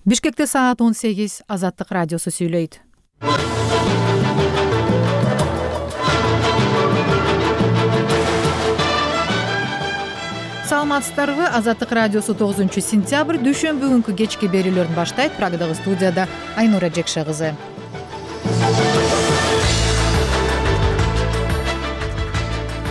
Бишкекте саат 18 Азаттык радиосу сүйлөйт. Саламатсыздарбы? Азаттык радиосу 9-сентябрь дүйшөмбү күнкү кечки берүүлөрүн баштайт. Прагадагы студияда Айнура Жекше кызы.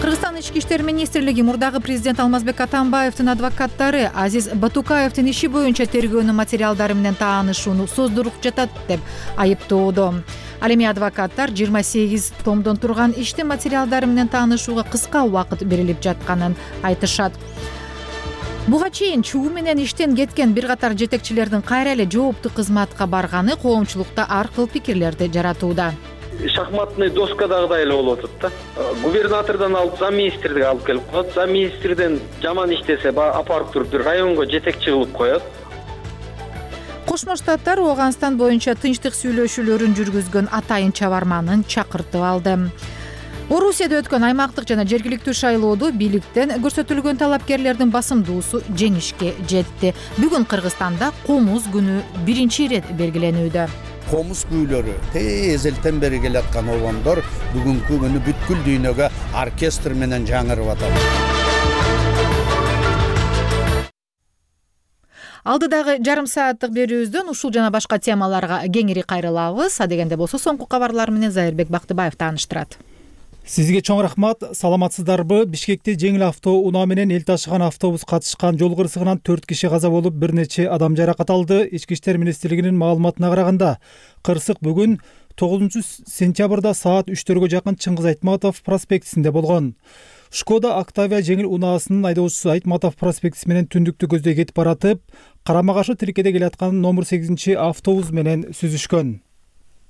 Кыргызстан ички иштер министрлиги мурдагы президент Алмазбек Атамбаевдин адвокаттары Азиз Батукаевдин иши боюнча тергөөнүн материалдары менен таанышууну создуруп жатат деп айыптоодо. Ал эми адвокаттар 28 томдон турган иштин материалдары менен таанышууга кыска убакыт берилип жатканын айтышат. Буга чейин чуу менен иштен кеткен бир катар жетекчилердин кайра эле жооптуу кызматка барганы коомчулукта ар кыл пикирлерди жаратууда. Шахматный доскадагыдай эле болуп атат да. Губернатордон алып замминистрди алып келип коет. Замминистрден жаман иштесе апарып туруп бир районго жетекчи кылып коет. Кошмо Штаттар Ооганстан боюнча тынчтык сүйлөшүүлөрүн жүргүзгөн атайын чабарманын чакыртып алды. Орусияда өткөн аймактык жана жергиликтүү шайлоодо бийликтен көрсөтүлгөн талапкерлердин басымдуусу жеңишке жетти. Бүгүн Кыргызстанда комуз күнү биринчи ирет белгиленүүдө. Комуз күүлөрү эзелтен бери келаткан обондор бүгүнкү күнү бүткүл дүйнөгө оркестр менен жаңырып атат. Алдыдагы жарым сааттык берүүбүздөн ушул жана башка темаларга кеңири кайрылабыз. Адегенде болсо соңку кабарлар менен Зайырбек Бактыбаев тааныштырат. Сизге чоң рахмат. Саламатсыздарбы? Бишкекте жеңил автоунаа менен эл ташыган автобус катышкан жол кырсыгынан 4 киши каза болуп, бир нече адам жаракат алды. Ички иштер министрлигинин маалыматына караганда, кырсык бүгүн 9-сентябрда саат 3-төргө жакын Чыңгыз Айтматов проспектисинде болгон. Шкода Октавия жеңил унаасынын айдоочусу Айтматов проспектиси менен түндүктү көздөй кетип баратып, карама-каршы тилкеде келаткан номер 8 автобус менен сүзүшкөн.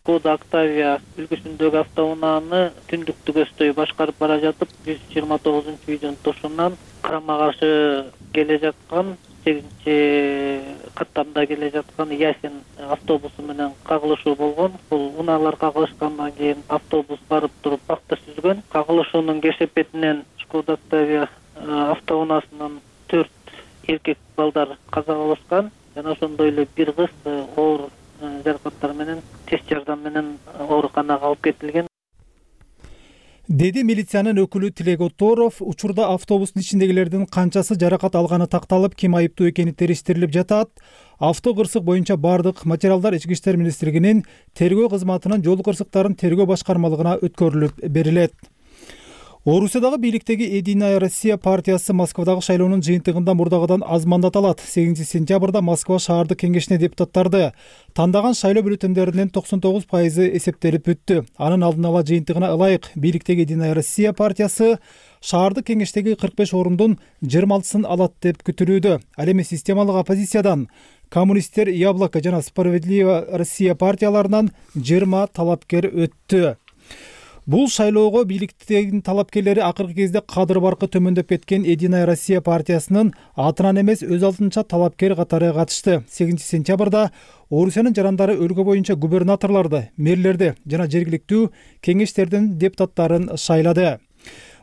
Шкода Октавия үлгүсүндөгү автоунааны түндүктү көздөй башкарып бара жатып, 129-үйдүн тушунан карама-каршы келе жаткан 8-каттамда келе жаткан Ясин автобусу менен кагылышуу болгон. Бул унаалар кагылышкандан кийин автобус барып туруп бакта сүзгөн. Кагылышуунун кесепетинен Шкода Октавия автоунаасынан 4 эркек балдар каза болушкан. Жана ошондой эле бир кыз оор жаракаттар менен тез жардам менен ооруканага алып кетилген. Деди милициянын өкүлү Тилек Оторов, учурда автобустун ичиндегилердин канчасы жаракат алганы такталып, ким айыптуу экени териштирилип жатат. Авто кырсык боюнча бардык материалдар Ички иштер министрлигинин тергөө кызматынын жол кырсыктарын тергөө башкармалыгына өткөрүлүп берилет. Орусиядагы бийликтеги Единая Россия партиясы Москвадагы шайлоонун жыйынтыгында мурдагыдан аз мандат алат. 8-сентябрда Москва шаардык кеңешине депутаттарды тандаган шайлоо бюллетендеринин 99% эсептелип бүттү. Анын алдын ала жыйынтыгына ылайык бийликтеги Единая Россия партиясы шаардык кеңештеги 45 орундун 26-сын алат деп күтүлүүдө. Ал эми системалык оппозициядан коммунисттер, Яблоко жана Справедливая Россия партияларынан 20 талапкер өттү. Бул шайлоого бийликтегин талапкерлери акыркы кезде кадыр баркы төмөндөп кеткен Единая Россия партиясынын атынан эмес өз алдынча талапкер катары катышты. 8-сентябрда Орусиянын жарандары өлкө боюнча губернаторлорду, мэрлерди жана жергиликтүү кеңештердин депутаттарын шайлады.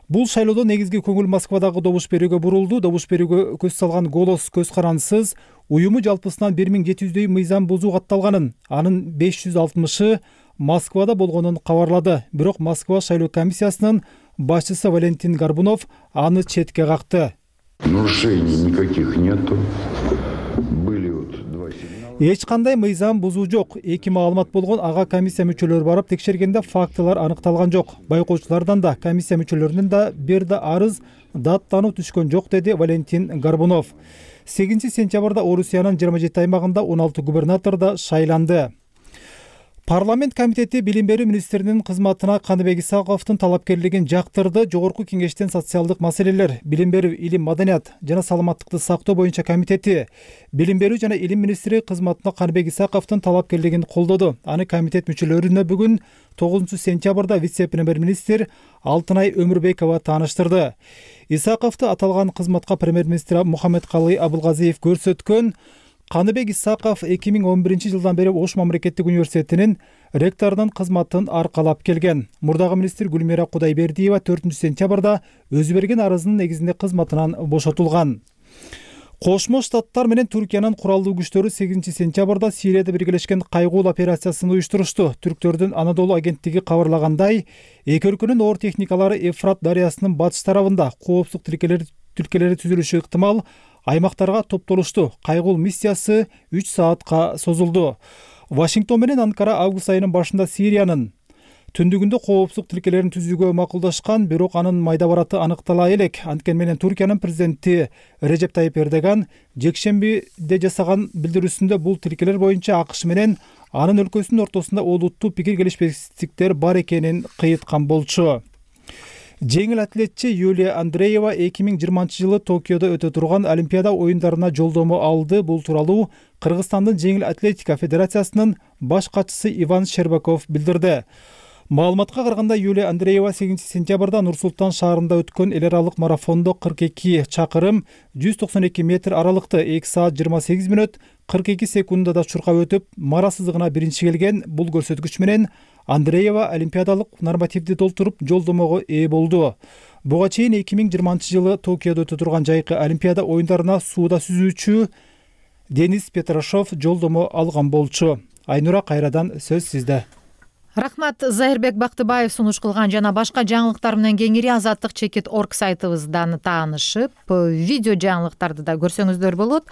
Бул шайлоодо негизги көңүл Москвадагы добуш берүүгө бурулду. Добуш берүүгө көз салган «Голос» көз карансыз уюму жалпысынан 1700дөй мыйзам бузуу катталганын, анын 560-ы Москвада болгонун кабарлады. Бирок Москва шайлоо комиссиясынын башчысы Валентин Горбунов аны четке какты. Нарушений никаких нету. Были вот 2 сигнала. Эч кандай мыйзам бузуу жок. 2 маалымат болгон, ага комиссия мүчөлөрү барып текшергенде фактылар аныкталган жок. Байкоочулардан да, комиссия мүчөлөрүнүн да бир да арыз даттануу түшкөн жок, деди Валентин Горбунов. 8-сентябрда Орусиянын 27 аймагында 16 губернатор да шайланды. Парламент комитети билим берүү министринин кызматына Каныбек Исаковдун талапкерлигин жактырды. Жогорку кеңештен социалдык маселелер, билим берүү, илим, маданият жана саламаттыкты сактоо боюнча комитети билим берүү жана илим министри кызматына Каныбек Исаковдун талапкерлигин колдоду. Аны комитет мүчөлөрүнө бүгүн 9-сентябрда вице-премьер-министр Алтынай Өмүрбекова тааныштырды. Исаковду аталган кызматка премьер-министр Мухаммедкалый Абылгазиев көрсөткөн. Каныбек Исаков 2011-жылдан бери Ош мамлекеттик университетинин ректорунун кызматын аркалап келген. Мурдагы министр Гүлмира Кудайбердиева 4-сентябрда өзү берген арызынын негизинде кызматынан бошотулган. Кошмо Штаттар менен Түркиянын куралдуу күчтөрү 8-сентябрда Сирияда биргелешкен кайгуу операциясын уюштурушту. Түрктөрдүн Анадолу агенттиги кабарлагандай, эки өлкөнүн оор техникалары Эфрат дарыясынын батыш тарабында коопсуздук тилкелери түзүлүшү ыктымал аймактарга топтолушту. Кайгул миссиясы 3 саатка созулду. Вашингтон менен Анкара август айынын башында Сириянын түндүгүндө коопсуздук тилкелерин түзүүгө макулдашкан, бирок анын майда бараты аныктала элек. Анткени менен Түркиянын президенти Режеп Тайип Эрдоган жекшембиде жасаган билдирүүсүндө бул тилкелер боюнча АКШ менен анын өлкөсүнүн ортосунда олуттуу пикир келишпестиктер бар экенин кыйыткан болчу. Жеңил атлетчи Юлия Андреева 2020-жылы Токиодо өтө турган Олимпиада оюндарына жолдомо алды. Бул тууралуу Кыргызстандын жеңил атлетика федерациясынын баш катчысы Иван Щербаков билдирди. Маалыматка караганда, Юлия Андреева 8-сентябрда Нур-Султан шаарында өткөн эл аралык марафондо 42 чакырым 192 метр аралыкты 2 саат 28 мүнөт 42 секундада чуркап өтүп, мара сызыгына биринчи келген. Бул көрсөткүч менен Андреева олимпиадалык нормативди толтуруп жолдомого ээ болду. Буга чейин 2020-жылы Токиодо өтө турган жайкы Олимпиада оюндарына сууда сүзүүчү Денис Петрашов жолдомо алган болчу. Айнура, кайрадан сөз сизде. Рахмат. Зайырбек Бактыбаев сунуш кылган жана башка жаңылыктар менен кеңири azatlyk.org сайтыбыздан таанышып, видео жаңылыктарды да көрсөңүздөр болот.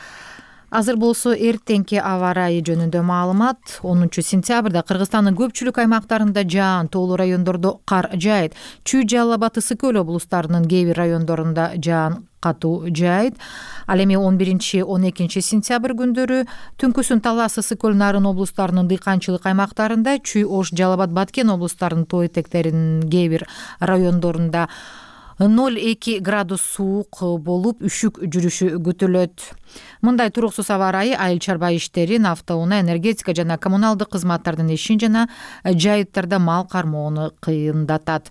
Азыр болсо эртеңки аба ырайы жөнүндө маалымат. 10-сентябрда Кыргызстандын көпчүлүк аймактарында жаан, тоолуу райондордо кар жаайт. Чүй, Жалал абад, Ысык көл облустарынын кээ бир райондорунда жаан катуу жаайт. Ал эми 11-12 сентябрь күндөрү түнкүсүн Талас, Ысык көл, Нарын облустарынын дыйканчылык аймактарында, Чүй, Ош, Жалал абад, Баткен облустарынын тоо этектеринин кээ бир райондорунда 0-2 градус суук болуп, үшүк жүрүшү күтүлөт. Мындай туруксуз аба ырайы айыл чарба иштерин, автоунаа, энергетика жана коммуналдык кызматтардын ишин жана жайыттарда мал кармоону кыйындатат.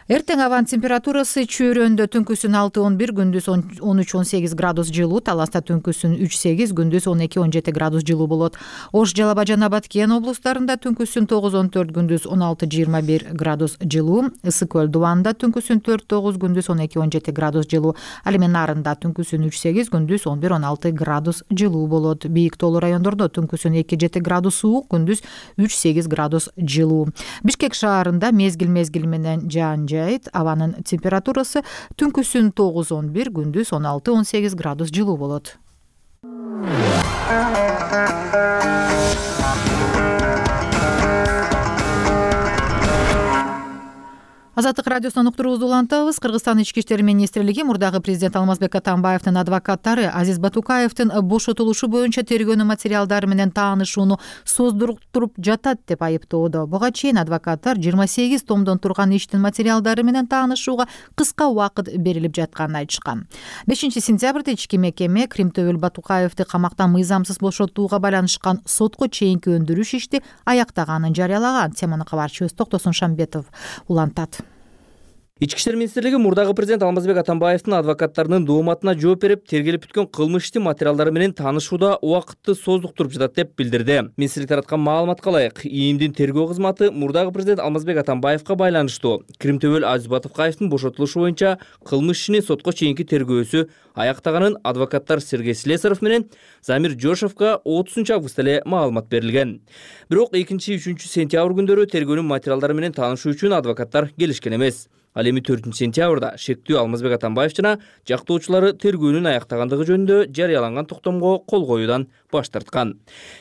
Эртең абанын температурасы Чүйрөндө түнкүсүн 6-11, күндүз 13-18 градус жылуу, Таласта түнкүсүн 3-8, күндүз 12-17 градус жылуу болот. Ош, Жалал абад жана Баткен облустарында түнкүсүн 9-14, күндүз 16-21 градус жылуу, Ысык көл, Дубанда түнкүсүн 4-9, күндүз 12-17 градус жылуу, ал эми Нарында түнкүсүн 3-8, күндүз 11-16 градус жылуу болот. Бийик тоолуу райондордо түнкүсүн 2-7 градус суук, күндүз 3-8 градус жылуу. Бишкек шаарында мезгил менен жаан жайт, абанын температурасы түнкүсүн 9-11, күндүз 16-18 градус жылуу болот. Азаттык радиосунан уктуруубузду улантабыз. Кыргызстан ички иштер министрлиги мурдагы президент Алмазбек Атамбаевдин адвокаттары Азиз Батукаевдин бошотулушу боюнча тергөөнүн материалдары менен таанышууну создуруп жатат деп айыптоодо. Буга чейин адвокаттар 28 томдон турган иштин материалдары менен таанышууга кыска убакыт берилип жатканын айтышкан. 5-сентябрда ички мекеме Кримтөбөл Батукаевди камактан мыйзамсыз бошотууга байланышкан сотко чейинки өндүрүш ишти аяктаганын жарыялаган. Теманы кабарчыбыз Токтосун Шамбетов улантат. Ички иштер министрлиги мурдагы президент Алмазбек Атамбаевдин адвокаттарынын дооматына жооп берип, тергелип бүткөн кылмыш ишти материалдары менен таанышууда убакытты создуктуруп жатат деп билдирди. Министрлик тараткан маалыматка ылайык, ИИМдин тергөө кызматы мурдагы президент Алмазбек Атамбаевга байланыштуу Кримтөбөл Азиз Батукаевдин бошотулушу боюнча кылмыш ишини сотко чейинки тергөөсү аяктаганын адвокаттар Сергей Слесарев менен Замир Жошевго 30-августта эле маалымат берилген. Бирок 2-3 сентябрь күндөрү тергөөнүн материалдары менен таанышуу үчүн адвокаттар келишкен эмес. Ал эми 4-сентябрда шектүү Алмазбек Атамбаев жана жактоочулары тергөөнүн аяктагандыгы жөнүндө жарыяланган токтомго кол коюудан баш тарткан.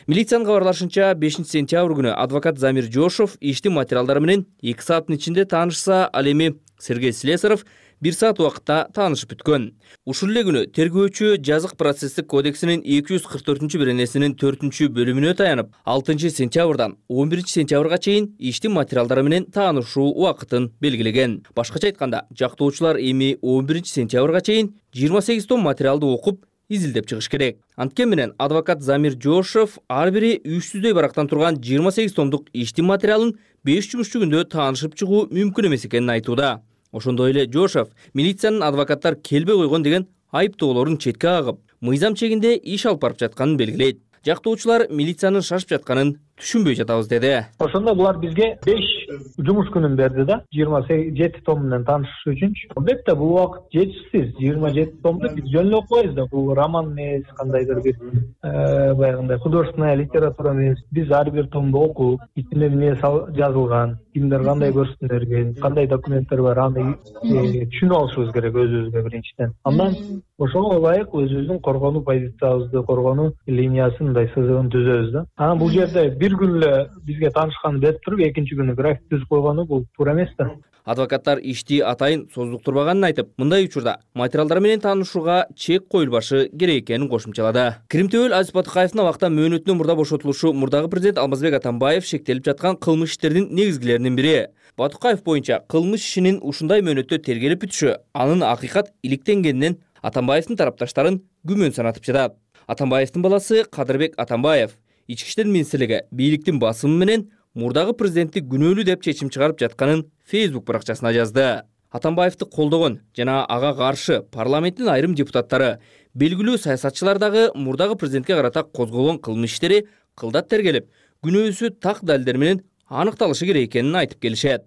Милициянын кабарлашынча 5-сентябрь күнү адвокат Замир Жошев иштин материалдары менен 2 сааттын ичинде таанышса, ал эми Сергей Слесарев 1 саат убакытта таанышып бүткөн. Ушул эле күнү тергөөчү жазык процесстик кодексинин 244-беренесинин 4-бөлүмүнө таянып, 6-сентябрдан 11-сентябрга чейин иштин материалдары менен таанышуу убакытын белгилеген. Башкача айтканда, жактоочулар эми 11-сентябрга чейин 28 том материалды окуп, изилдеп чыгыш керек. Анткени менен адвокат Замир Жошев ар бири 300дөй барактан турган 28 томдук иштин материалын 5 жумушчу күндө таанышып чыгуу мүмкүн эмес экенин айтууда. Ошондой эле Жошев милициянын адвокаттар келбей койгон деген айыптоолорун четке кагып, мыйзам чегинде иш алып барып жатканын белгилейт. Жактоочулар милициянын шашып жатканын түшүнбөй жатабыз деди. Ошондо булар бизге 5 жумуш күнүн берди да, 27 том менен таанышыш үчүнчү. Албетте бул убакыт жетишсиз. 27 томду биз жөн эле окубайбыз да. Бул роман эмес, кандайдыр бир баягындай художественная литература эмес. Биз ар бир томду окуп, ичинде эмне жазылган, кимдер кандай көрсөтүлгөн, кандай документтер бар, аны түшүнүп алышыбыз керек өзүбүзгө биринчиден. Андан ошого ылайык өзүбүздүн коргонуу позициябызды, коргонуу линиясын, мындай сызыгын түзөбүз да. Анан бул жерде бир күн эле бизге таанышканын берип туруп, экинчи күнү график түзүп койгону бул туура эмес да. Адвокаттар ишти атайын создуктурбаганын айтып, мындай учурда материалдар менен таанышууга чек коюлбашы керек экенин кошумчалады. Киримтөбөл Азиз Батукаевдин абакта мөөнөтүнөн мурда бошотулушу мурдагы президент Алмазбек Атамбаев шектелип жаткан кылмыш иштердин негизгилеринин бири. Батукаев боюнча кылмыш ишинин ушундай мөөнөттө тергелип бүтүшү анын акыйкат иликтенгенинен Атамбаевдин тарапташтарын күмөн санатып жатат. Атамбаевдин баласы Кадырбек Атамбаев Ички иштер министрлиги бийликтин басымы менен мурдагы президентти күнөөлүү деп чечим чыгарып жатканын Facebook баракчасына жазды. Атамбаевди колдогон жана ага каршы парламенттин айрым депутаттары, белгилүү саясатчылар дагы мурдагы президентке карата козголгон кылмыш иштери кылдат тергелип, күнөөсү так далилдер менен аныкталышы керек экенин айтып келишет.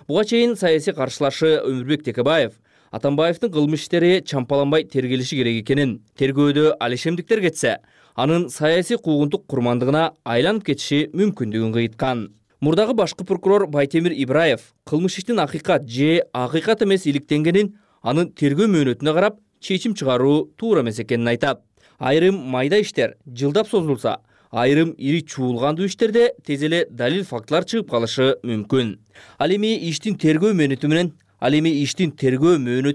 Буга чейин саясий каршылашы Өмүрбек Текебаев Атамбаевдин кылмыш иштери чампаланбай тергелиши керек экенин, тергөөдө алишемдиктер кетсе, анын саясий куугунтук курмандыгына айланып кетиши мүмкүндүгүн кыйткан. Мурдагы башкы прокурор Байтемир Ибраев кылмыш иштин акыйкат же акыйкат эмес иликтенгенин анын тергөө мөөнөтүнө карап чечим чыгаруу туура эмес экенин айтат. Айрым майда иштер жылдап созулса, айрым ири чуулгандуу иштерде тез эле далил фактылар чыгып калышы мүмкүн. Ал эми иштин тергөө мөөнөтү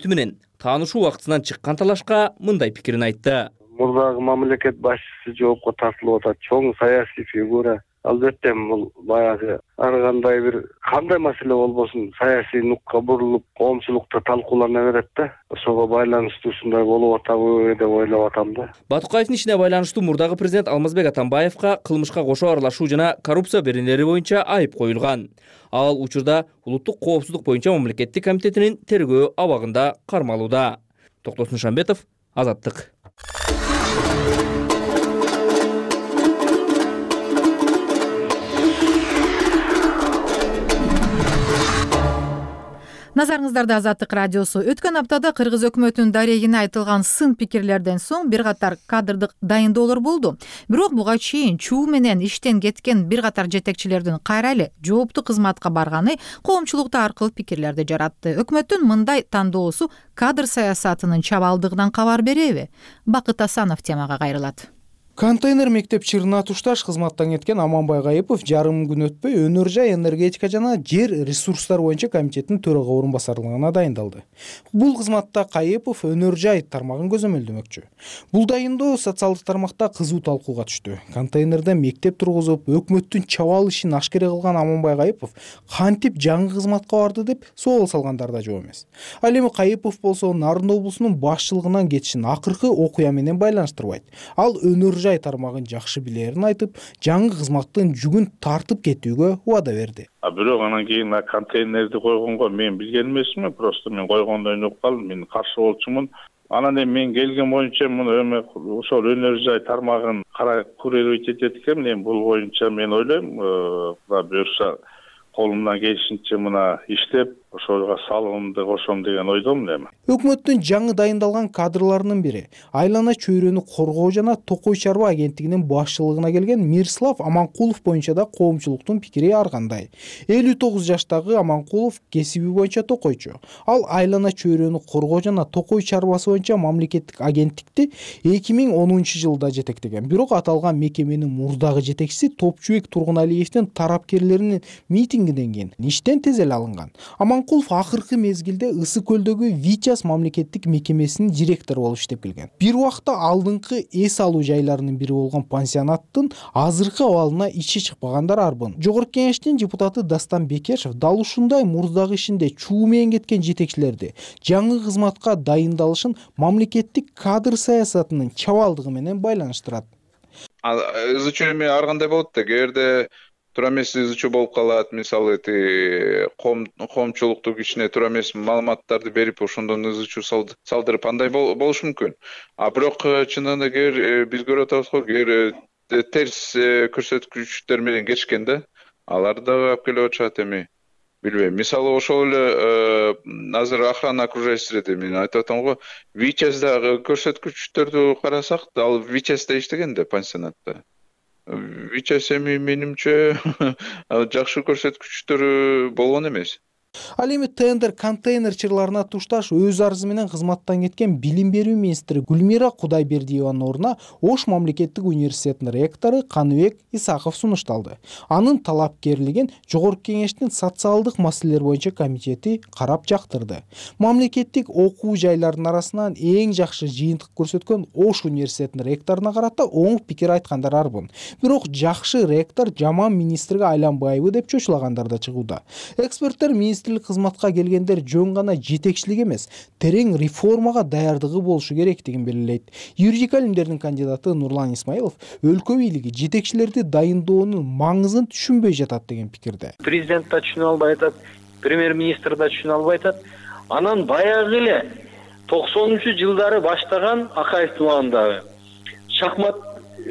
менен таанышуу убактысынан чыккан талашка мындай пикирин айтты. Мурдагы мамлекет башчысы жоопко тартылып атат. Чоң саясий фигура. Албетте бул баягы ар кандай бир кандай маселе болбосун саясий нукка бурулуп, коомчулукта талкуулана берет да. Ошого байланыштуу ушундай болуп атабы деп ойлоп атам да. Батукаевдин ишине байланыштуу мурдагы президент Алмазбек Атамбаевка кылмышка кошо аралашуу жана коррупция беренелери боюнча айып коюлган. Ал учурда улуттук коопсуздук боюнча мамлекеттик комитетинин тергөө абагында кармалууда. Токтосун Шамбетов, Азаттык. Назарыңыздарда Азаттык радиосу. Өткөн аптада Кыргыз өкмөтүнүн дарегине айтылган сын пикирлерден соң бир катар кадрдык дайындоолор болду. Бирок буга чейин чуу менен иштен кеткен бир катар жетекчилердин кайра эле жооптуу кызматка барганы коомчулукта ар кыл пикирлерди жаратты. Өкмөттүн мындай тандоосу кадр саясатынын чабалдыгынан кабар береби? Бакыт Асанов темага кайрылат. Контейнер мектеп чырына тушташ кызматтан кеткен Аманбай Кайыпов жарым күн өтпөй Өнөр жай энергетика жана жер ресурстары боюнча комитеттин төрага орун басарлыгына дайындалды. Бул кызматта Кайыпов Өнөр жай тармагын көзөмөлдөмөкчү. Бул дайындоо социалдык тармакта кызуу талкууга түштү. Контейнерде мектеп тургузуп, өкмөттүн чабал ишин ашкере кылган Аманбай Кайыпов кантип жаңы кызматка барды деп суал салгандар да жок эмес. Ал эми Кайыпов болсо Нарын облусунун башчылыгынан кетишин акыркы окуя менен байланыштырбайт. Ал Өнөр жай тармагын жакшы билерин айтып, жаңы кызматтын жүгүн тартып кетүүгө убада берди. Бирок анан кийин контейнерди койгонго мен билген эмесмин, просто мен койгондо өнөп калдым, мен каршы болчумун. Анан эми мен келген боюнча муну эми ошол Өнөр жай тармагын карай курировать этет экен. Эми бул боюнча мен ойлойм, буюрса колумдан келишинче мына иштеп, ошого салымымды кошом деген ойдомун эми. Өкмөттүн жаңы дайындалган кадрларынын бири айлана чөйрөнү коргоо жана Токой чарба агенттигинин башчылыгына келген Мирслав Аманкулов боюнча да коомчулуктун пикири ар кандай. 59 жаштагы Аманкулов кесиби боюнча токойчу. Ал айлана чөйрөнү коргоо жана Токой чарбасы боюнча мамлекеттик агенттикти 2010-жылда жетектеген. Бирок аталган мекеменин мурдагы жетекчиси Топчубек Тургуналиевдин тарапкерлеринин митингинен кийин иштен тез эле алынган. Аманкулов акыркы мезгилде Ысык көлдөгү Вичас мамлекеттик мекемесинин директору болуп иштеп келген. Бир убакта алдыңкы эс алуу жайларынын бири болгон пансионаттын азыркы абалына ичи чыкпагандар арбын. Жогорку кеңештин депутаты Дастан Бекешев дал ушундай мурдагы ишинде чуу менен кеткен жетекчилерди жаңы кызматка дайындалышын мамлекеттик кадр саясатынын чабалдыгы менен байланыштырат. Изучуу эми ар кандай болот да, кээде туура эмес изучуу болуп калат. Мисалы коомчулуктук ишине туура эмес маалыматтарды берип, ошондон изучуу салдырып андай болушу мүмкүн. Бирок чынында биз көрүп атабыз го, терс көрсөткүчтөр менен кетишкен да. Алар дагы алып келип атышат эми. Билбейм. Мисалы ошол эле азыр охрана окружающийде мен айтып атам го, ВИЧСдагы көрсөткүчтөрдү карасак, ал ВИЧСде иштеген да пансионатта. ВИЧС эми менимче жакшы көрсөткүчтөрү болгон эмес. Ал эми тендер контейнер чырларына тушташ өз арызы менен кызматтан кеткен билим берүү министри Гүлмира Кудайбердиеванын ордуна Ош мамлекеттик университетинин ректору Каныбек Исаков сунушталды. Анын талапкерлигин Жогорку Кеңештин социалдык маселелер боюнча комитети карап жактырды. Мамлекеттик окуу жайларынын арасынан эң жакшы жыйынтык көрсөткөн Ош университетинин ректоруна карата оң пикир айткандар арбын. Бирок жакшы ректор жаман министрге айланбайбы деп чочулагандар да чыгууда. Эксперттер министрлик кызматка келгендер жөн гана жетекчилик эмес, терең реформага даярдыгы болушу керектигин белгилейт. Юридика илимдеринин кандидаты Нурлан Исмаилов өлкө бийлиги жетекчилерди дайындоонун маңызын түшүнбөй жатат деген пикирде. Президент да түшүнө албай атат, премьер-министр да түшүнө албай атат. Анан баягы эле 90-жылдары баштаган Акаевдин убагындагы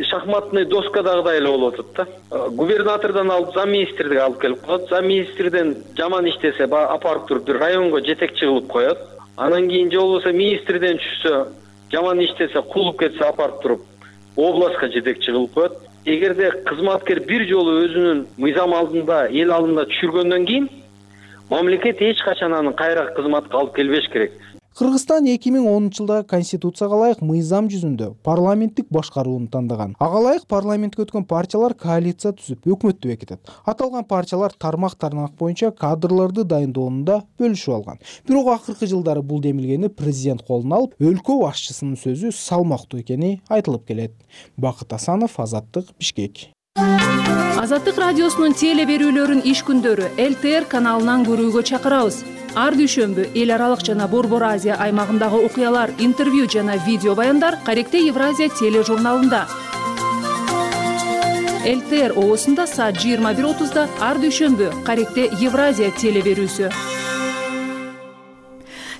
шахматный доскадагыдай эле болуп атат да. Губернатордон алып замминистрдиги алып келип коет. Замминистрден жаман иштесе апарып туруп бир районго жетекчи кылып коет. Анан кийин же болбосо министрден түшсө, жаман иштесе, кулуп кетсе апарып туруп областка жетекчи кылып коет. Эгерде кызматкер бир жолу өзүнүн мыйзам алдында, эл алдында түшүргөндөн кийин мамлекет эч качан аны кайра кызматка алып келбеш керек. Кыргызстан 2010-жылдагы конституцияга ылайык мыйзам жүзүндө парламенттик башкарууну тандаган. Ага ылайык парламентке өткөн партиялар коалиция түзүп, өкмөттү бекитет. Аталган партиялар тармак боюнча кадрларды дайындоонда бөлүшүп алган. Бирок акыркы жылдары бул демилгени президент колуна алып, өлкө башчысынын сөзү салмактуу экени айтылып келет. Бакыт Асанов, Азаттык, Бишкек. Азаттык радиосунун теле берүүлөрүн иш күндөрү ЛТР каналынан көрүүгө чакырабыз. Ар дүйшөмбү эл аралык жана Борбор Азия аймагындагы окуялар, интервью жана видео баяндар Каректе Евразия тележурналында. ЛТР оосунда саат 21:30 ар дүйшөмбү Каректе Евразия теле берүүсү.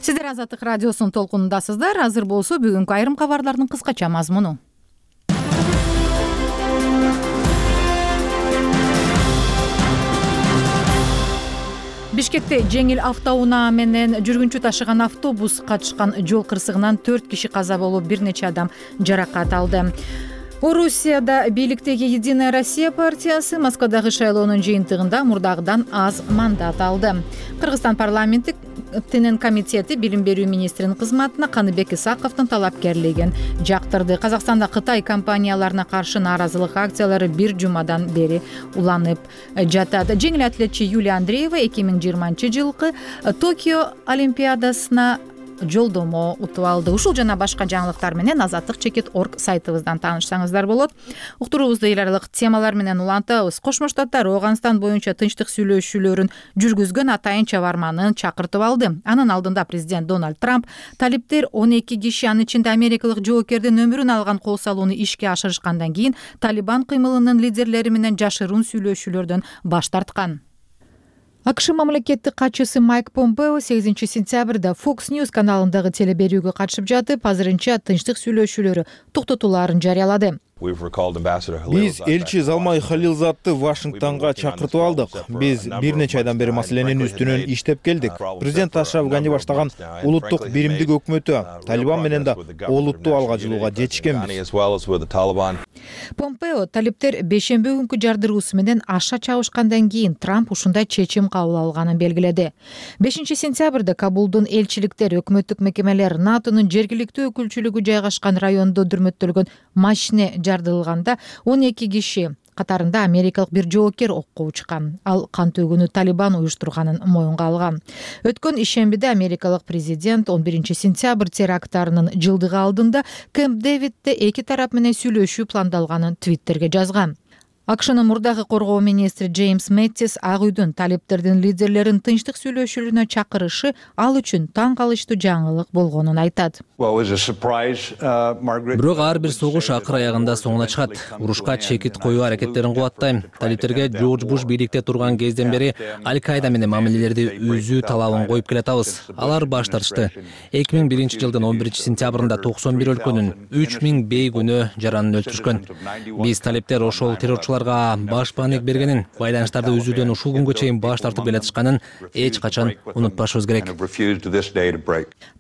Сиздер Азаттык радиосунун толкунундасыздар. Азыр болсо бүгүнкү айрым кабарлардын кыскача мазмуну. Бишкекте жеңил автоунаа менен жүргүнчү ташыган автобус катышкан жол кырсыгынан 4 киши каза болуп, бир нече адам жаракат алды. Орусияда бийликтеги Единая Россия партиясы Москвадагы шайлоонун жыйынтыгында мурдагыдан аз мандат алды. Кыргызстан парламенттин комитети билим берүү министринин кызматына Каныбек Исаковдун талапкерлигин жактырды. Казакстанда Кытай компанияларына каршы нааразылык акциялары бир жумадан бери уланып жатат. Жеңил атлетчи Юлия Андреева 2020-жылкы Токио олимпиадасына жолдомо утуп алды. Ушул жана башка жаңылыктар менен azatlyk.org сайтыбыздан таанышсаңыздар болот. Уктуруубузду эл аралык темалар менен улантабыз. Кошмо Штаттар Ооганстан боюнча тынчтык сүйлөшүүлөрүн жүргүзгөн атайын чабарманын чакыртып алды. Анын алдында президент Дональд Трамп талиптер 12 киши, анын ичинде америкалык жоокердин өмүрүн алган кол салууну ишке ашырышкандан кийин Талибан кыймылынын лидерлери менен жашыруун сүйлөшүүлөрдөн баш тарткан. АКШ мамлекеттик катчысы Майк Помпео 8-сентябрда Fox News каналындагы теле берүүгө катышып жатып, азырынча тынчтык сүйлөшүүлөрү токтотулаарын жарыялады. Биз элчи Залмай Халилзадты Вашингтонго чакыртып алдык. Биз бир нече айдан бери маселенин үстүнөн иштеп келдик. Президент Ашраф Гани баштаган улуттук биримдик өкмөтү Талибан менен да олуттуу алга жылууга жетишкенбиз. Помпео талиптер бейшемби күнкү жардыруусу менен аша чабышкандан кийин Трамп ушундай чечим кабыл алганын белгиледи. 5-сентябрда Кабулдун элчиликтер, өкмөттүк мекемелер, НАТОнун жергиликтүү өкүлчүлүгү жайгашкан райондо дүрмөттөлгөн машине жардылганда 12 киши катарында америкалык бир жоокер окко учкан. Ал кан төгүүнү Талибан уюштурганын моюнга алган. Өткөн ишембиде америкалык президент 11-сентябрь теракттарынын жылдыгы алдында Кэмп Дэвидде эки тарап менен сүйлөшүү пландалганын Твиттерге жазган. АКШнын мурдагы коргоо министри Джеймс Мэттис Ак үйдүн талиптердин лидерлерин тынчтык сүйлөшүүлөрүнө чакырышы ал үчүн таң калыштуу жаңылык болгонун айтат. Бирок ар бир согуш акыр аягында соңуна чыгат. Урушка чекит коюу аракеттерин кубаттайм. Талиптерге Джордж Буш бийликте турган кезден бери Аль-Каида менен мамилелерди үзүү талабын коюп келатабыз. Алар баш тартышты. 2001 жылдын 11 сентябрында 91 өлкөнүн 3000 бейгүнөө жаранын өлтүрүшкөн. Биз талиптер ошол террорчулар баш бааник бергенин, байланыштарды үзүүдөн ушул күнгө чейин баш тартып келатышканын эч качан унутпашыбыз керек.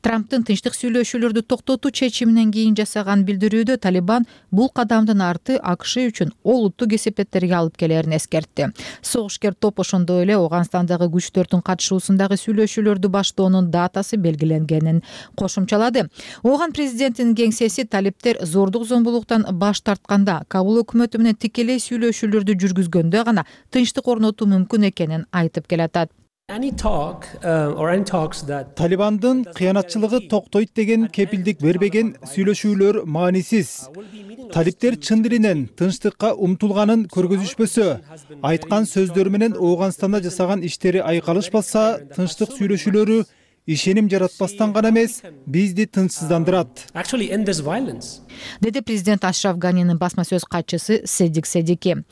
Трамптын тынчтык сүйлөшүүлөрдү токтотуу чечиминен кийин жасаган билдирүүдө Талибан бул кадамдын арты АКШ үчүн олуттуу кесепеттерге алып келерин эскертти. Согушкер топ ошондой эле Ооганстандагы күчтөрдүн катышуусундагы сүйлөшүүлөрдү баштоонун датасы белгиленгенин кошумчалады. Ооган президентинин кеңсеси талиптер зордук зомбулуктан баш тартканда, Кабул өкмөтү менен тикелей сүйлөшүүлөрдү жүргүзгөндө гана тынчтык орнотуу мүмкүн экенин айтып келатат. Талибандын кыянатчылыгы токтойт деген кепилдик бербеген сүйлөшүүлөр маанисиз. Талиптер чын дилинен тынчтыкка умтулганын көргөзүшпөсө, айткан сөздөрү менен Ооганстанда жасаган иштери айкалышпаса, тынчтык сүйлөшүүлөрү ишеним жаратпастан гана эмес, бизди тынчсыздандырат, деди президент Ашраф Ганинин басма сөз катчысы Седик Седики.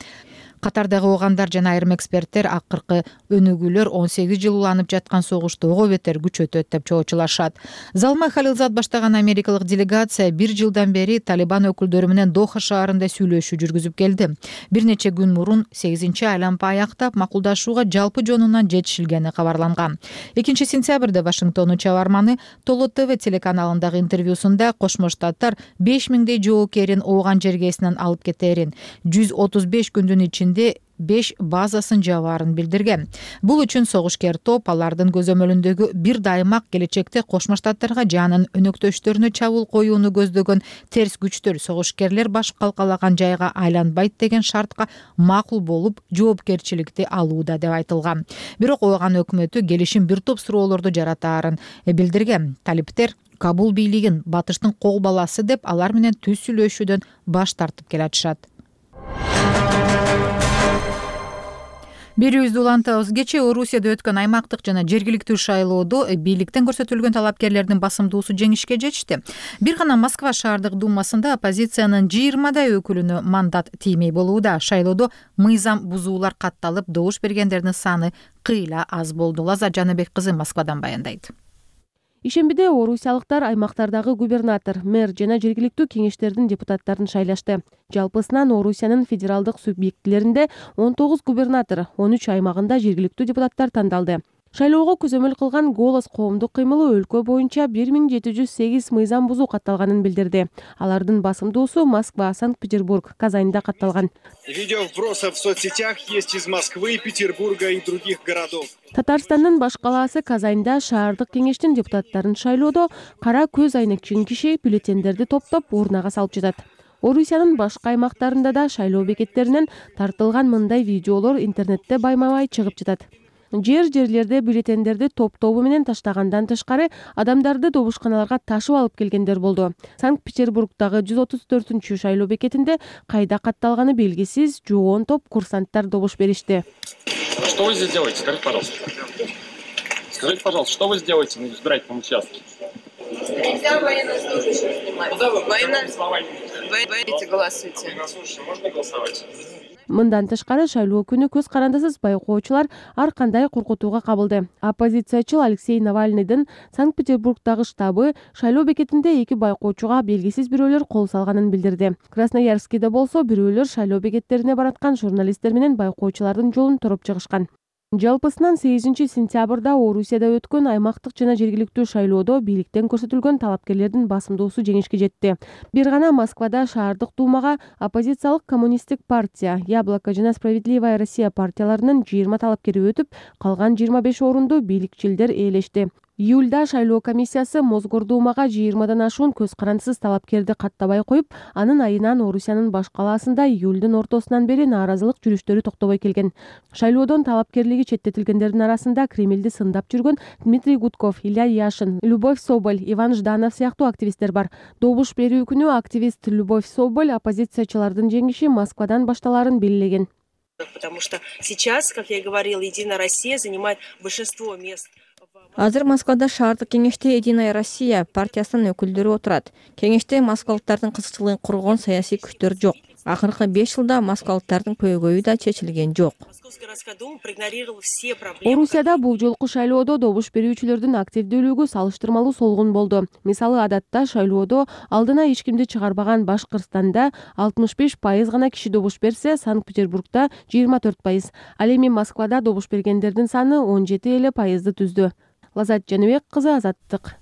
Катардагы оогандар жана айрым эксперттер акыркы өнүгүүлөр 18 жыл уланып жаткан согушту ого бетер күчөтөт деп чоочулашат. Залмай Халилзад баштаган америкалык делегация 1 жылдан бери Талибан өкүлдөрү менен Доха шаарында сүйлөшүү жүргүзүп келди. Бир нече күн мурун 8-чи айланма аяктап макулдашууга жалпы жонунан жетишилгени кабарланган. 2 сентябрда Вашингтондун чабарманы Толо ТВ телеканалындагы интервьюсунда Кошмо Штаттар 5000дей жоокерин Ооган жергесинен алып кетерин, 135 күндүн ичинде 5 базасын жабаарын билдирген. Бул үчүн согушкер топ алардын көзөмөлүндөгү бир даймак келечекте Кошмо Штаттарга жанын өнөктөштөрүнө чабуул коюуну көздөгөн терс күчтөр согушкерлер баш калкалаган жайга айланбайт деген шартка макул болуп, жоопкерчиликти алууда деп айтылган. Бирок Ооган өкмөтү келишим бир топ суроолорду жаратаарын билдирген. Талиптер Кабул бийлигин батыштын кол баласы деп алар менен түз сүйлөшүүдөн баш тартып келатышат. Берүүбүздү улантабыз. Кечээ Орусияда өткөн аймактык жана жергиликтүү шайлоодо бийликтен көрсөтүлгөн талапкерлердин басымдуусу жеңишке жетишти. Бир гана Москва шаардык думасында оппозициянын 20дай өкүлүнө мандат тиймей болууда. Шайлоодо мыйзам бузуулар катталып, добуш бергендердин саны кыйла аз болду. Лаза Жаныбек кызы Москвадан баяндайт. Ишембиде орусиялыктар аймактардагы губернатор, мэр жана жергиликтүү кеңештердин депутаттарын шайлашты. Жалпысынан Орусиянын федералдык субъектилеринде 19 губернатор, 13 аймагында жергиликтүү депутаттар тандалды. Шайлоого көзөмөл кылган Голос коомдук кыймылы өлкө боюнча 1708 мыйзам бузуу катталганын билдирди. Алардын басымдуусу Москва, Санкт-Петербург, Казаньда катталган. Видео вбросов в соцсетях есть из Москвы, Петербурга и других городов. Татарстандын баш калаасы Казаньда шаардык кеңештин депутаттарын шайлоодо кара көз айнекчиген киши бюллетендерди топтоп урнага салып жатат. Орусиянын башка аймактарында да шайлоо бекеттеринен тартылган мындай видеолор интернетте байма-бай чыгып жатат. Жерлерде бюллетендерди топ-тобу менен таштагандан тышкары адамдарды добушканаларга ташып алып келгендер болду. Санкт-Петербургдагы 134-чү шайлоо бекетинде кайда катталганы белгисиз жоон топ курсанттар добуш беришти. Что вы здесь делаете? Скажите, пожалуйста. Скажите, пожалуйста, что вы сделаете на избирательном участке? Нельзя военнослужащих снимать. Куда вы? Вы голосуйте. Можно голосовать? Мындан тышкары шайлоо күнү көз карандысыз байкоочулар ар кандай коркутууга кабылды. Оппозициячыл Алексей Навальныйдын Санкт-Петербургдагы штабы шайлоо бекетинде 2 байкоочуга белгисиз бирөөлөр кол салганын билдирди. Красноярскийде болсо бирөөлөр шайлоо бекеттерине бараткан журналисттер менен байкоочулардын жолун туруп чыгышкан. Жалпысынан 8 сентябрда Орусияда өткөн аймактык жана жергиликтүү шайлоодо бийликтен көрсөтүлгөн талапкерлердин басымдуусу жеңишке жетти. Бир гана Москвада шаардык думага оппозициялык коммунисттик партия, Яблоко жана Справедливая Россия партияларынын 20 талапкери өтүп, калган 25 орунду бийликчилдер ээлешти. Июлда шайлоо комиссиясы Мосгордумага 20 ашуун көз карандысыз талапкерди каттабай коюп, анын айынан Орусиянын баш калаасында июлдун ортосунан бери нааразылык жүрүштөрү токтобой келген. Шайлоодон талапкерлиги четтетилгендердин арасында Кремлди сындап жүргөн Дмитрий Гудков, Илья Яшин, Любовь Соболь, Иван Жданов сыяктуу активисттер бар. Добуш берүү күнү активист Любовь Соболь оппозициячылардын жеңиши Москвадан башталарын белгилеген. Потому что сейчас, как я говорила, Единая Россия занимает большинство мест. Азыр Москвада шаардык кеңеште Единая Россия партиясынын өкүлдөрү отурат. Кеңеште москвалыктардын кызыкчылыгын коргон саясий күчтөр жок. Акыркы 5 жылда москвалыктардын көйгөйү да чечилген жок. Орусияда бул жолку шайлоодо добуш берүүчүлөрдүн активдүүлүгү салыштырмалуу солгун болду. Мисалы, адатта шайлоодо алдына эч кимди чыгарбаган Башкырстанда 65% гана киши добуш берсе, Санкт-Петербургда 24%. Ал эми Москвада добуш бергендердин саны 17% түздү. Лазат Жаныбек кызы, Азаттык.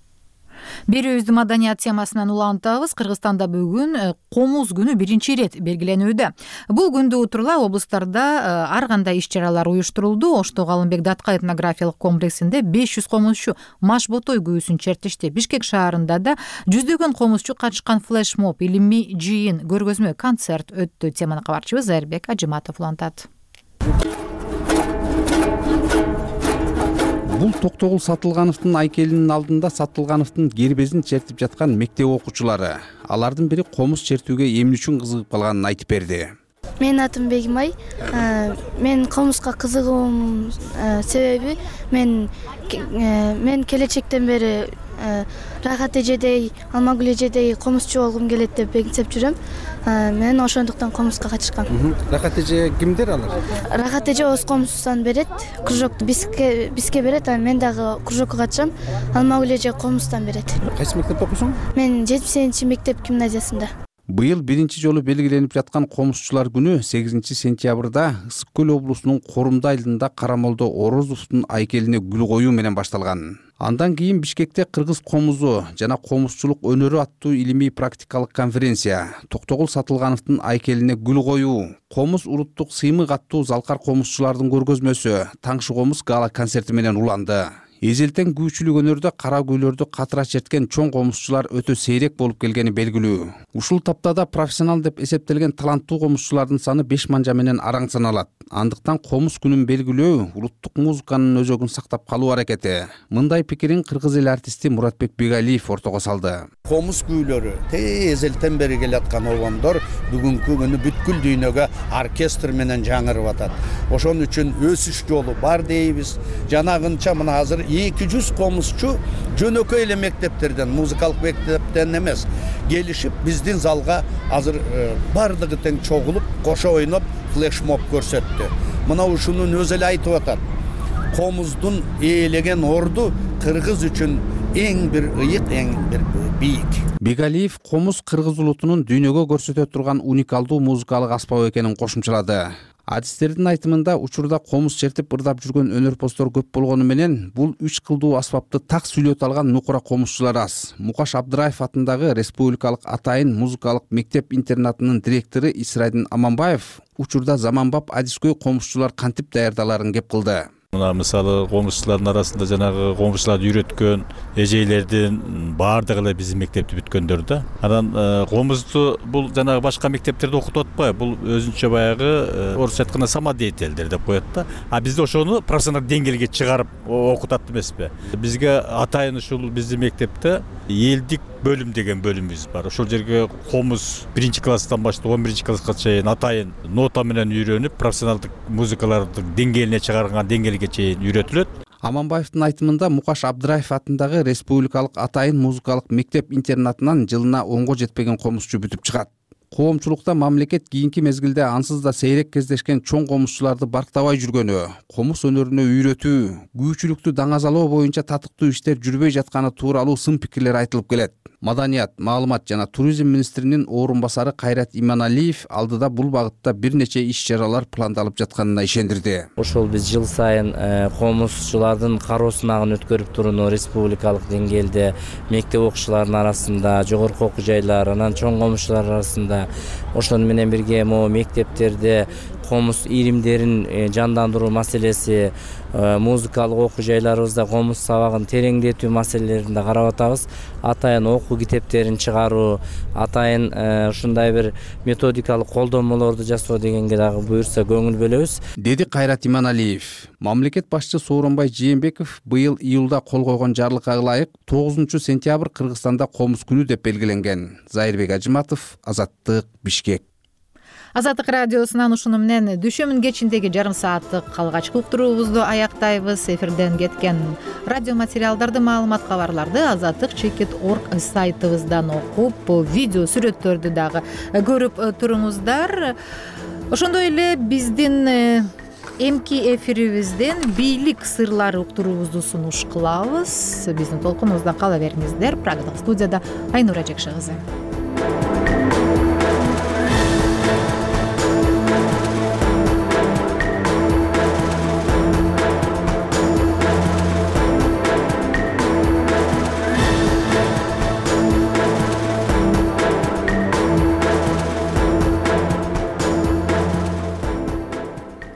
Берүүбүздү маданият темасынан улантабыз. Кыргызстанда бүгүн комуз күнү биринчи ирет белгиленүүдө. Бул күндү утурула облустарда ар кандай иш-чаралар уюштурулду. Оштогу Алымбек Датка этнографиялык комплексинде 500 комузчу маш ботой күүсүн чертишти. Бишкек шаарында да жүздөгөн комузчу катышкан флешмоб, илимий жыйын, көргөзмө, концерт өттү. Теманы кабарчыбыз Айырбек Ажыматов улантат. Бул Токтогул Сатылгановдун айкелинин алдында Сатылгановдун гербезин чертип жаткан мектеп окуучулары. Алардын бири комуз чертүүгө эмне үчүн кызыгып калганын айтып берди. Менин атым Бегимай. Мен комузга кызыгуум себеби мен келечектен бери Рахат эжедей, Алмагүл эжедей комузчу болгум келет деп бекинсеп жүрөм. Мен ошондуктан комузга катышкам. Рахат эже кимдер алар? Рахат эже өз комуздан берет, кружокту бизге берет, мен дагы кружокко катышам. Алмагүл эже комуздан берет. Кайсы мектепте окуйсуң? Мен 7-мектеп гимназиясында. Быйыл биринчи жолу белгиленип жаткан комузчулар күнү 8-сентябрда Ысык көл облусунун Корумда айылында Карамолдо Орозовдун айкелине гүл коюу менен башталган. Андан кийин Бишкекте кыргыз комузу жана комузчулук өнөрү аттуу илимий практикалык конференция, Токтогул Сатылгановдун айкелине гүл коюу, комуз уруттук сыймык аттуу залкар комузчулардын көргөзмөсү, Таңшы комуз гала концерти менен уланды. Эзелтен күүчүлүк өнөрдө кара гүйлөрдү катыра черткен чоң комузчулар өтө сейрек болуп келгени белгилүү. Ушул таптада профессионал деп эсептелген таланттуу комузчулардын саны 5 манжа менен араң саналат. Андыктан комуз күнүн белгилөө улуттук музыканын өзөгүн сактап калуу аракети. Мындай пикирин кыргыз эл артисти Муратбек Бегалиев ортого салды. Комуз күүлөрү эзелтен бери келаткан обондор бүгүнкү күнү бүткүл дүйнөгө оркестр менен жаңырып атат. Ошон үчүн өсүш жолу бар дейбиз. Жанагынча мына азыр 200 комузчу жөнөкөй эле мектептерден, музыкалык мектептен эмес, келишип биздин залга азыр бардыгы тең чогулуп, кошо ойноп, флешмоб көрсөттү. Мына ушунун өзү эле айтып атат. Комуздун ээлеген орду кыргыз үчүн эң бир ыйык, эң бир бийик. Бегалиев комуз кыргыз улутунун дүйнөгө көрсөтө турган уникалдуу музыкалык аспап экенин кошумчалады. Адистердин айтымында учурда комуз чертип ырдап жүргөн өнөрпоздор көп болгону менен бул 3 кылдуу аспапты так сүйлөтө алган нукура комузчулар аз. Мукаш Абдыраев атындагы Республикалык атайын музыкалык мектеп интернатынын директору Исрайдин Аманбаев учурда заманбап адискөй комузчулар кантип даярдаларын кеп кылды. Мына мисалы комузчулардын арасында жанагы комузчуларды үйрөткөн эжейлердин баардыгы эле биздин мектепти бүткөндөр да. Анан комузду бул жанагы башка мектептерде окутуп атпайбы, бул өзүнчө баягы орусча айтканда самодеятельдер деп коет да. А бизде ошону профессионалдык деңгээлге чыгарып окутат эмеспи. Бизге атайын ушул биздин мектепте элдик бөлүм деген бөлүмүбүз бар. Ошол жерге комуз 1-класстан баштап 11-класска чейин атайын нота менен үйрөнүп, профессионалдык музыкалардын деңгээлине чыгарган деңгээлге чейин үйрөтүлөт. Аманбаевдин айтымында Мукаш Абдыраев атындагы Республикалык атайын музыкалык мектеп интернатынан жылына 10го жетпеген комузчу бүтүп чыгат. Коомчулукта мамлекет кийинки мезгилде ансыз да сейрек кездешкен чоң комузчуларды барктабай жүргөнү, комуз өнөрүнө үйрөтүү, күүчүлүктү даңазалоо боюнча татыктуу иштер жүрбөй жатканы тууралуу сын пикирлер айтылып келет. Маданият, маалымат жана туризм министринин орун басары Кайрат Иманалиев алдыда бул багытта бир нече иш-чаралар пландалып жатканына ишендирди. Ошол биз жыл сайын комузчулардын кароо сынагын өткөрүп турууну республикалык деңгээлде мектеп окуучуларынын арасында, жогорку окуу жайлар, анан чоң комузчулар арасында ошону менен бирге могу мектептерде комуз иримдерин жандандыруу маселеси, музыкалык окуу жайларыбызда комуз сабагын тереңдетүү маселелерин да карап атабыз. Атайын окуу китептерин чыгаруу, атайын ушундай бир методикалык колдонмолорду жасоо дегенге дагы буюрса көңүл бөлөбүз, деди Кайрат Иманалиев. Мамлекет башчы Сооронбай Жээнбеков быйыл июлда кол койгон жарлыкка ылайык 9 сентябрь Кыргызстанда комуз күнү деп белгиленген. Зайырбек Ажыматов, Азаттык, Бишкек. Азаттык радиосунан ушуну менен дүйшөмүн кечиндеги жарым сааттык калгачкы уктуруубузду аяктайбыз. Эфирден кеткен радио материалдарды, маалымат кабарларды azattik.org сайтыбыздан окуп, видео сүрөттөрдү дагы көрүп туруңуздар. Ошондой эле биздин эмки эфирибизден бийлик сырлары уктуруубузду сунуш кылабыз. Биздин толкунубузда кала бериңиздер. Прагадагы студияда Айнура Жекше кызы.